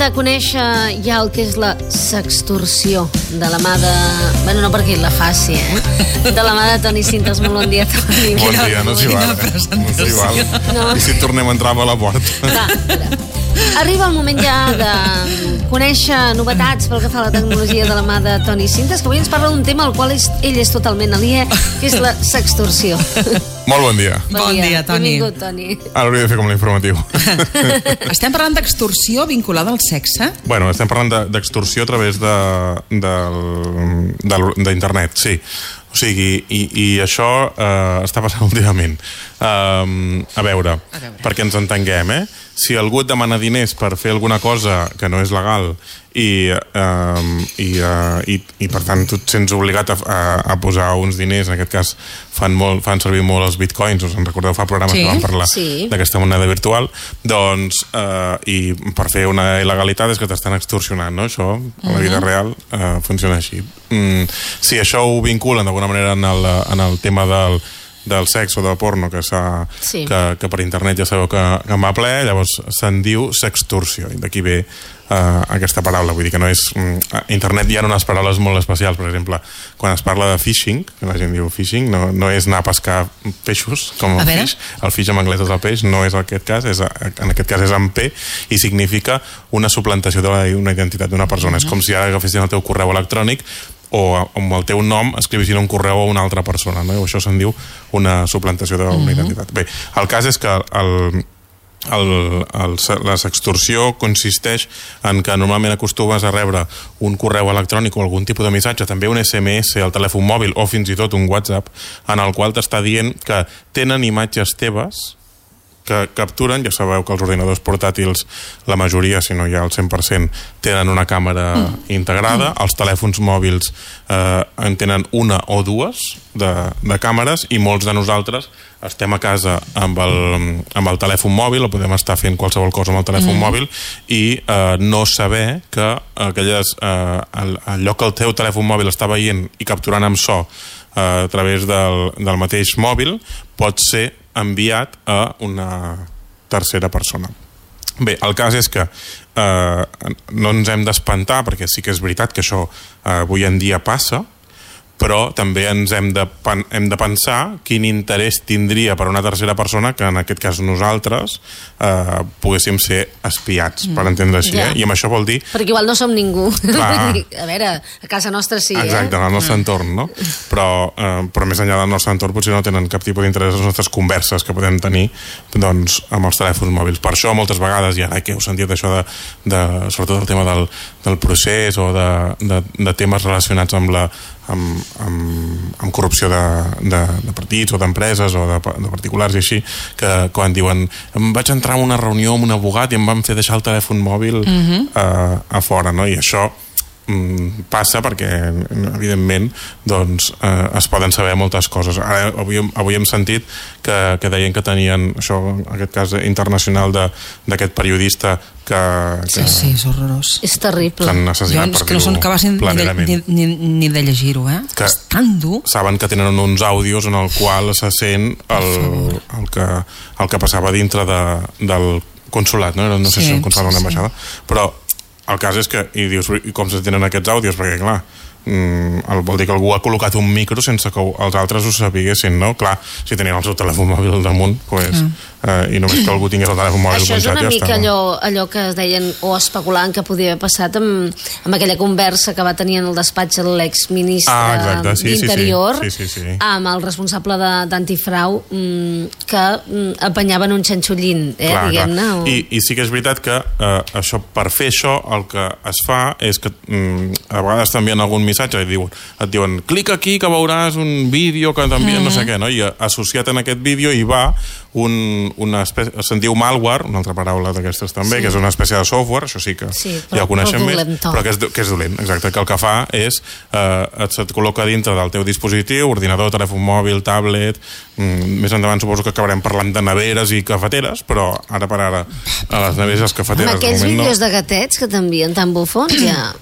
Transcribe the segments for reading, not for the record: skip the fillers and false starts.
de conèixer ja el que és la sextorsió de la mà de... Bueno, no perquè la faci, de la mà de Toni Sintes. Molt bon dia, Toni. Bon dia, no s'hi val, No s'hi val. No. I si tornem a entrar a la porta. Va, arriba el moment ja de conèixer novetats pel que fa a la tecnologia de la mà de Toni Sintes, que avui ens parla d'un tema al qual ell és totalment aliè, que és la sextorsió. Molt bon dia. Bon dia, Toni. Benvingut, Toni. Ara hauria de fer com l'informatiu. Estem parlant d'extorsió vinculada al sexe? Bueno, estem parlant d'extorsió a través d'internet, sí. O sigui, i això està passant últimament. A veure, perquè ens entenguem, si algú et demana diners per fer alguna cosa que no és legal i per tant tu et sents obligat a posar uns diners, en aquest cas fan servir molt els bitcoins, us en recordeu, fa programes que van parlar d'aquesta moneda virtual, doncs i per fer una il·legalitat és que t'estan extorsionant, no? Això a la vida real funciona així. Si això ho vinculen d'alguna manera en el tema del sexe o del porno que per internet ja sabeu que en va ple, llavors se'n diu sextorsió, i d'aquí ve aquesta paraula, vull dir que no és... A internet hi ha unes paraules molt especials, per exemple, quan es parla de phishing, que la gent diu phishing, no és anar a pescar peixos, com el fish, el fish en anglès és el peix, no és aquest cas, en aquest cas és amb P, i significa una suplantació d'una identitat d'una persona. És com si ara agafessin el teu correu electrònic o amb el teu nom escrivissin un correu a una altra persona, no? Això se'n diu una suplantació d'una identitat. Bé, el cas és que la sextorsió consisteix en que normalment acostumes a rebre un correu electrònic o algun tipus de missatge, també un SMS al telèfon mòbil o fins i tot un WhatsApp, en el qual t'està dient que tenen imatges teves que capturen, ja sabeu que els ordinadors portàtils, la majoria, si no hi ha el 100%, tenen una càmera integrada, els telèfons mòbils en tenen una o dues de càmeres, i molts de nosaltres estem a casa amb el telèfon mòbil, o podem estar fent qualsevol cosa amb el telèfon mòbil, i no saber que allò que el teu telèfon mòbil està veient i capturant amb so a través del mateix mòbil pot ser enviat a una tercera persona. Bé, el cas és que no ens hem d'espantar, perquè sí que és veritat que això avui en dia passa, però també ens hem de pensar quin interès tindria per una tercera persona que en aquest cas nosaltres poguéssim ser espiats, per entendre així, i amb això vol dir... Perquè igual no som ningú. A veure, a casa nostra sí, Exacte, en el nostre entorn, no? Però més enllà del nostre entorn potser no tenen cap tipus d'interès en les nostres converses que podem tenir amb els telèfons mòbils. Per això moltes vegades, i ara que heu sentit això sobretot el tema del procés o de temes relacionats amb corrupció de partits o d'empreses o de particulars i així, que quan diuen em vaig entrar en una reunió amb un abogat i em van fer deixar el telèfon mòbil a fora, no? I això passa perquè evidentment doncs es poden saber moltes coses. Ara, avui hem sentit que deien que tenien això, en aquest cas internacional d'aquest periodista que sí, és horrorós, és terrible, que no són capaç ni de llegir-ho, és tan dur. Saben que tenen uns àudios en el qual se sent el que passava dintre del consolat, no sé si és un consolat o una ambaixada, però el cas és que, i dius, com se tenen aquests àudios? Perquè, clar, vol dir que algú ha col·locat un micro sense que els altres ho sabiguessin, no? Clar, si tenien el seu telèfon mòbil al damunt, i només que algú tingués el telèfon mòbil això és una mica allò que es deien o especulaven que podia haver passat amb aquella conversa que va tenir en el despatx l'exministre d'Interior amb el responsable d'antifrau, que apanyaven un xanxullín, diguem-ne. I sí que és veritat que per fer això el que es fa és que a vegades t'envien algun missatge i et diuen clica aquí que veuràs un vídeo que t'envien no sé què, i associat en aquest vídeo hi va se'n diu malware, una altra paraula d'aquestes també, que és una espècie de software, això sí que ja ho coneixem més, però que és dolent, exacte, que el que fa és et col·loca dintre del teu dispositiu, ordinador, telèfon mòbil, tablet, més endavant suposo que acabarem parlant de neveres i cafeteres, però ara per ara a les neveres i les cafeteres amb aquells vídeos de gatets que t'envien tan bufons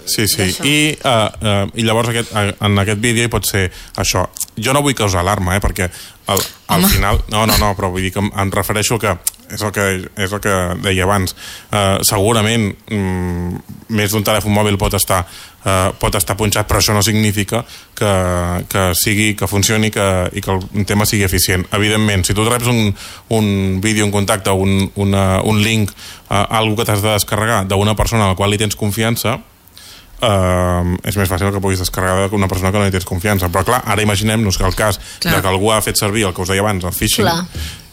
sí, i llavors en aquest vídeo hi pot ser això. Jo no vull causar alarma, perquè al final... No, però vull dir que em refereixo que és el que deia abans. Segurament més d'un telèfon mòbil pot estar punxat, però això no significa que funcioni i que el tema sigui eficient. Evidentment, si tu reps un vídeo, un contacte, un link, algo que t'has de descarregar d'una persona a la qual li tens confiança, és més fàcil que puguis descarregar d'una persona que no hi tens confiança. Però clar, ara imaginem-nos que el cas de que algú ha fet servir el que us deia abans, el phishing,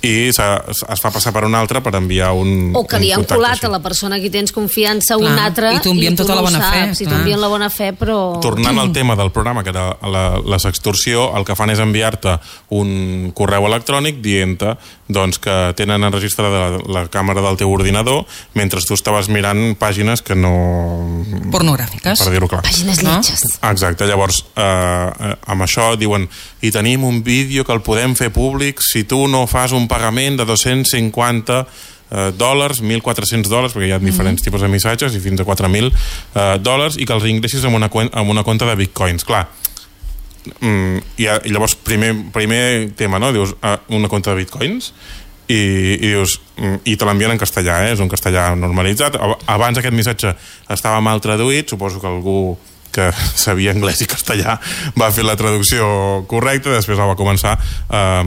i es fa passar per un altre per enviar o que li han colat a la persona a qui tens confiança un altre i tu enviem tota la bona fe. Si tu envien la bona fe, però... Tornant al tema del programa, que era la sextorsió, el que fan és enviar-te un correu electrònic dient-te doncs, que tenen enregistrada la càmera del teu ordinador mentre tu estaves mirant pàgines que no... pornogràfiques. Per dir-ho clar. Pàgines lletges. Exacte, llavors amb això diuen i tenim un vídeo que el podem fer públic si tu no fas un pagament de $250, $1.400, perquè hi ha diferents tipus de missatges i fins a $4.000, i que els ingressis amb una compta de bitcoins. Clar, i llavors primer tema, no? Dius, una compta de bitcoins i dius, i te l'envien en castellà, és un castellà normalitzat. Abans aquest missatge estava mal traduït, suposo que algú que sabia anglès i castellà va fer la traducció correcta, després la va començar a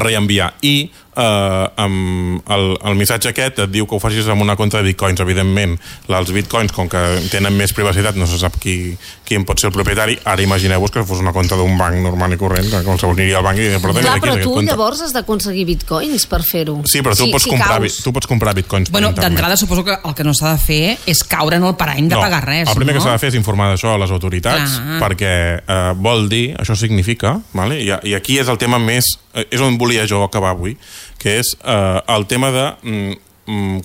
reenviar, i el missatge aquest et diu que ho facis amb una compta de bitcoins. Evidentment, els bitcoins, com que tenen més privacitat, no se sap qui en pot ser el propietari. Ara imagineu-vos que fos una compta d'un banc normal i corrent, que qualsevol aniria al banc i però tu llavors has d'aconseguir bitcoins per fer-ho. Sí, però tu pots comprar bitcoins. Bueno, d'entrada suposo que el que no s'ha de fer és caure en el parany de pagar res. El primer que s'ha de fer és informar d'això a les autoritats, perquè vol dir, això significa, vale? I aquí és el tema més, és on volia jo acabar avui, que és el tema de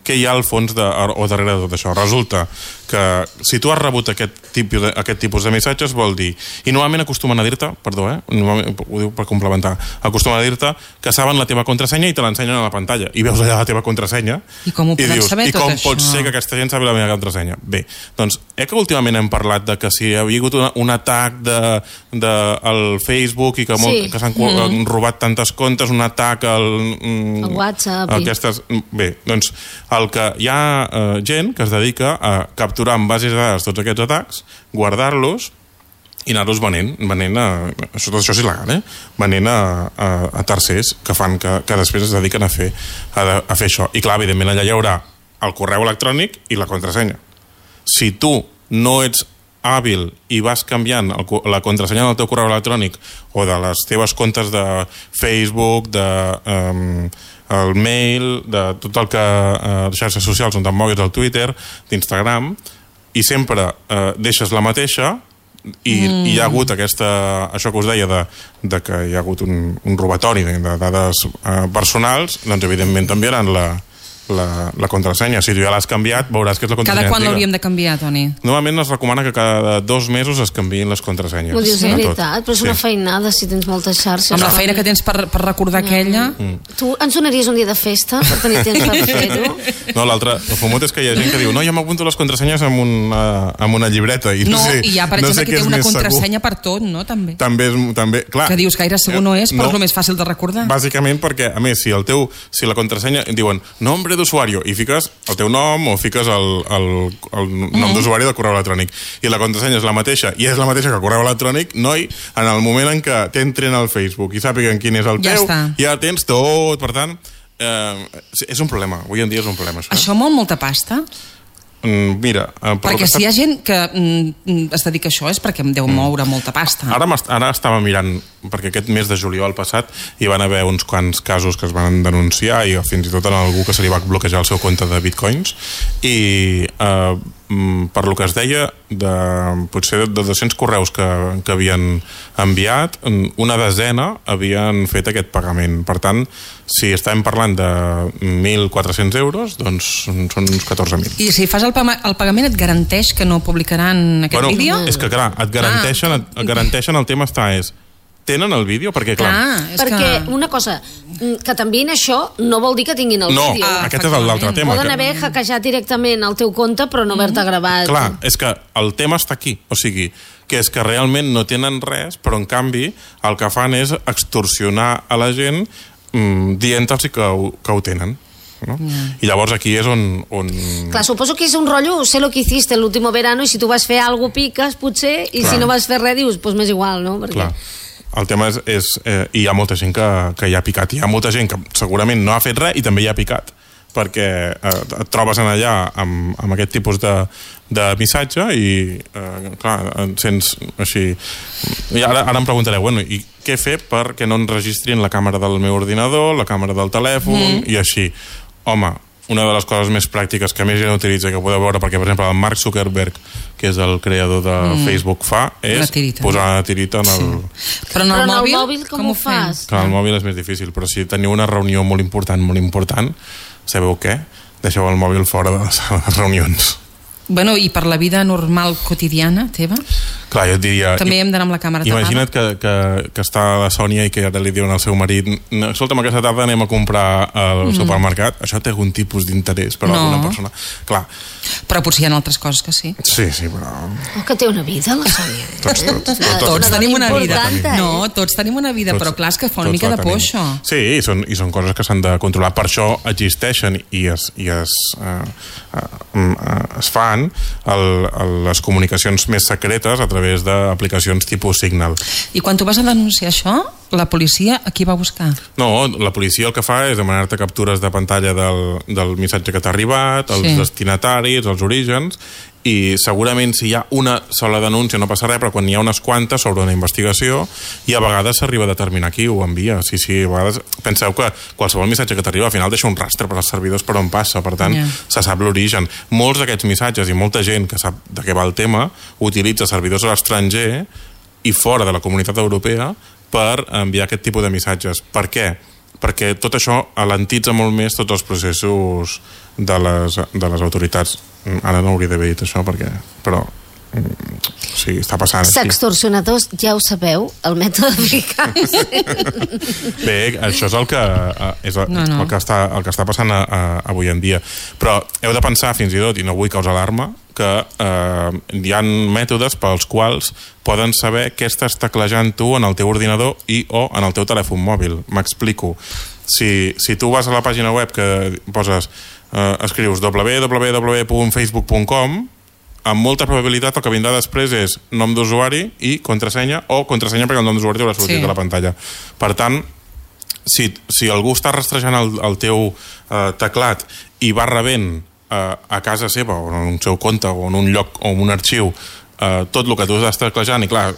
què hi ha al fons o darrere de tot això. Resulta que si tu has rebut aquest tipus de missatges, vol dir, i normalment acostumen a dir-te, perdó, ho diu per complementar, acostumen a dir-te que saben la teva contrasenya i te l'ensenyen a la pantalla, i veus allà la teva contrasenya i com ho poden saber tot això? I com pot ser que aquesta gent sabi la meva contrasenya? Bé, doncs, que últimament hem parlat de que si hi havia hagut un atac al Facebook i que s'han robat tantes comptes, un atac al WhatsApp, bé, doncs hi ha gent que es dedica a capturar en bases de dades tots aquests atacs, guardar-los i anar-los venent tot això és il·legal, venent a tercers que després es dediquen a fer això. I clar, evidentment allà hi haurà el correu electrònic i la contrasenya. Si tu no ets hàbil i vas canviant la contrasenya del teu correu electrònic o de les teves comptes de Facebook, el mail, de tot el que xarxes socials on te'n moguis, el Twitter, d'Instagram, i sempre deixes la mateixa i hi ha hagut això que us deia de que hi ha hagut un robatori de dades personals, doncs evidentment t'enviaran la contrasenya. Si tu ja l'has canviat, veuràs que és la contrasenya antiga. Cada quan l'hauríem de canviar, Toni? Normalment es recomana que cada 2 mesos es canviïn les contrasenyes. Ho dius de veritat, però és una feinada si tens moltes xarxes. Amb la feina que tens per recordar aquella... Tu ens donaries un dia de festa per tenir temps per fer-ho? No, l'altre, el famós és que hi ha gent que diu no, jo m'apunto les contrasenyes amb una llibreta. I hi ha, per exemple, que té una contrasenya per tot, no? També, clar. Que dius gaire segur no és, però és el més fàcil de recordar. Bàsicament perquè, a més, si la contrasenya diuen nombre d'usuari i fiques el teu nom o fiques el nom d'usuari del correu electrònic i la contrasenya és la mateixa i és la mateixa que el correu electrònic, noi, en el moment en què t'entren al Facebook i sàpiguen quin és el teu, ja tens tot. Per tant, és un problema. Avui en dia és un problema. Això mou molta pasta? Mira, perquè si hi ha gent que es dedica a això és perquè em deu moure molta pasta. Ara estava mirant, perquè aquest mes de juliol passat hi van haver uns quants casos que es van denunciar i fins i tot en algú que se li va bloquejar el seu compte de bitcoins i per lo que es deia potser de 200 correus que havien enviat, una desena havien fet aquest pagament. Per tant, si estem parlant de 1.400 euros, doncs són uns 14.000. I si fas el pagament et garanteix que no publicaran aquest vídeo? És que clar, et garanteixen el tema tenen el vídeo? Perquè una cosa, que t'enviïn això no vol dir que tinguin el vídeo. No, aquest és l'altre tema. Poden haver hackejat directament el teu compte però no haver-te gravat. Clar, és que el tema està aquí, o sigui, que és que realment no tenen res, però en canvi el que fan és extorsionar a la gent dient-los que ho tenen. no? I llavors aquí és on... Clar, suposo que és un rotllo, sé lo que hiciste el último verano, i si tu vas fer algo piques, potser, i si no vas fer res, dius, pues m'és igual, no? Perquè... Clar. El tema és hi ha molta gent que hi ha picat, hi ha molta gent que segurament no ha fet res i també hi ha picat, perquè et trobes en allà amb aquest tipus de missatge i clar, sents així i ara em preguntareu, bueno, i què fer perquè no enregistrin la càmera del meu ordinador, la càmera del telèfon i així? Home, una de les coses més pràctiques que més gent utilitza, que podeu veure, perquè per exemple el Mark Zuckerberg, que és el creador de Facebook, fa, és posar una tirita en el... Sí. Però en el mòbil com ho fas? Clar, el mòbil és més difícil, però si teniu una reunió molt important, sabeu què? Deixeu el mòbil fora de les reunions. Bueno, i per la vida normal quotidiana teva? Clar, jo et diria... També hem d'anar amb la càmera tapada. Imagina't que està la Sònia i que ara li diuen al seu marit escolta'm, aquesta tarda anem a comprar al supermercat. Això té algun tipus d'interès per alguna persona. Clar. Però potser hi ha altres coses que sí. Sí, però... Oh, que té una vida, la Sònia. Tots tenim una vida. No, tots tenim una vida, però clar, és que fa una mica de por, això. Sí, i són coses que s'han de controlar. Per això existeixen i es fan les comunicacions més secretes a través d'aplicacions tipus Signal. I quan tu vas a denunciar això, la policia a qui va buscar? No, la policia el que fa és demanar-te captures de pantalla del missatge que t'ha arribat, els destinataris, els orígens, i segurament si hi ha una sola denúncia no passa res, però quan hi ha unes quantes sobre una investigació i a vegades s'arriba a determinar qui ho envia. Sí, a vegades penseu que qualsevol missatge que t'arriba al final deixa un rastre per als servidors per on passa, per tant se sap l'origen. Molts d'aquests missatges i molta gent que sap de què va el tema utilitza servidors a l'estranger i fora de la comunitat europea per enviar aquest tipus de missatges. Per què? Perquè tot això alentitza molt més tots els processos de les autoritats. Ara no hauria d'haver dit això, però sí, està passant. Sextorsionadors, ja ho sabeu, el mètode eficaç. Bé, això és el que està passant avui en dia. Però heu de pensar, fins i tot, i no vull causar alarma, que hi ha mètodes pels quals poden saber què estàs teclejant tu en el teu ordinador o en el teu telèfon mòbil. M'explico. Si tu vas a la pàgina web que poses, escrius www.facebook.com, amb molta probabilitat el que vindrà després és nom d'usuari i contrasenya, o contrasenya perquè el nom d'usuari haurà sortit de la pantalla. Per tant, si algú està rastrejant el teu teclat i va rebent a casa seva o en un seu compte o en un lloc o en un arxiu tot el que tu estàs teclejant, i clar,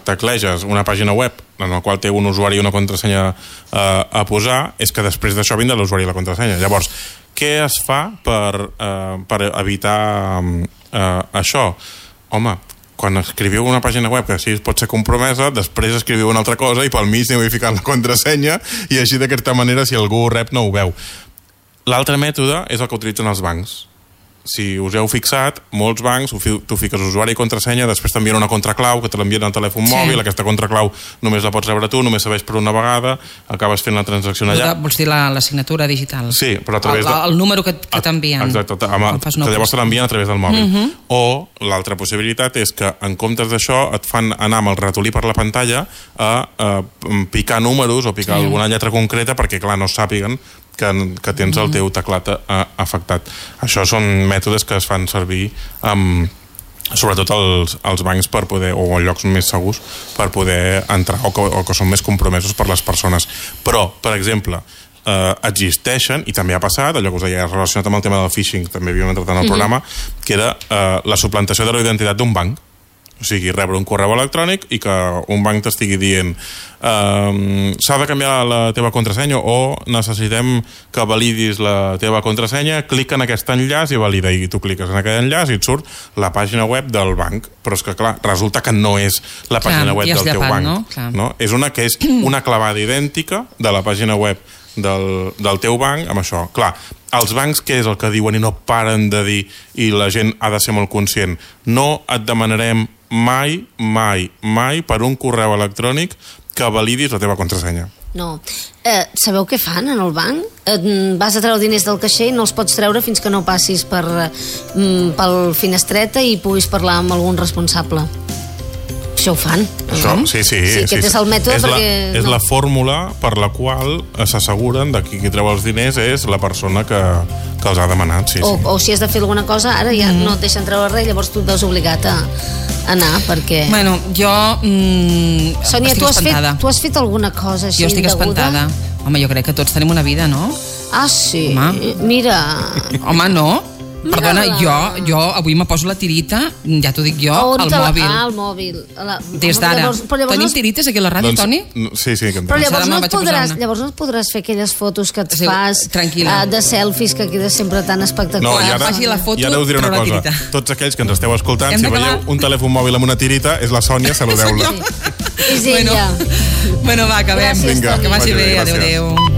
tecleges una pàgina web en la qual té un usuari i una contrasenya a posar, és que després d'això vindrà l'usuari i la contrasenya. Llavors, què es fa per evitar això? Home, quan escriviu una pàgina web que així pot ser compromesa, després escriviu una altra cosa i pel mig aneu ficant la contrasenya i així d'aquesta manera si algú ho rep no ho veu. L'altre mètode és el que utilitzen els bancs. Si us heu fixat, molts bancs, tu fiques usuari i contrasenya, després t'envien una contraclau que te l'envien al telèfon mòbil, aquesta contraclau només la pots rebre tu, només serveix per una vegada, acabes fent la transacció allà. Vols dir la signatura digital? Sí, però a través el número que t'envien. Exacte, que llavors te l'envien a través del mòbil. O l'altra possibilitat és que en comptes d'això et fan anar amb el ratolí per la pantalla a picar números o picar alguna lletra concreta perquè, clar, no sàpiguen que tens el teu teclat afectat. Això són mètodes que es fan servir sobretot als bancs per poder, o a llocs més segurs per poder entrar, o que són més compromesos per les persones. Però, per exemple, existeixen, i també ha passat, allò que us deia relacionat amb el tema del phishing, també havíem entrat en el programa, que era la suplantació de la identitat d'un banc. O sigui, rebre un correu electrònic i que un banc t'estigui dient s'ha de canviar la teva contrasenya o necessitem que validis la teva contrasenya, clica en aquest enllaç i valida, i tu cliques en aquest enllaç i et surt la pàgina web del banc, però és que clar, resulta que no és la pàgina web del teu banc, no? És una que és una clavada idèntica de la pàgina web del teu banc amb això. Clar, els bancs què és el que diuen i no paren de dir, i la gent ha de ser molt conscient? No et demanarem mai per un correu electrònic que validis la teva contrasenya. No. Sabeu què fan en el banc? Vas a treure diners del caixer i no els pots treure fins que no passis pel finestreta i puguis parlar amb algun responsable. això ho fan. Sí. Aquest és el mètode perquè... És la fórmula per la qual s'asseguren de qui treu els diners és la persona que els ha demanat. O si has de fer alguna cosa, ara ja no et deixen treure res, llavors tu et veus obligat a anar, perquè... Bueno, jo Sònia, estic espantada. Tu has fet alguna cosa així indeguda? Jo estic espantada. Home, jo crec que tots tenim una vida, no? Ah, sí? Home. Mira... Home, no? Perdona, jo avui me poso la tirita, ja t'ho dic jo, al mòbil. Ah, al mòbil. Des d'ara. Tenim tirites aquí a la ràdio, Toni? Sí, que però llavors no et podràs fer aquelles fotos que et fas de selfies que queda sempre tan espectacular. No, i ara us diré una cosa. Tots aquells que ens esteu escoltant, si veieu un telèfon mòbil amb una tirita, és la Sònia, saludeu-la. És ella. Bueno, va, acabem. Vinga, que vagi bé, adéu.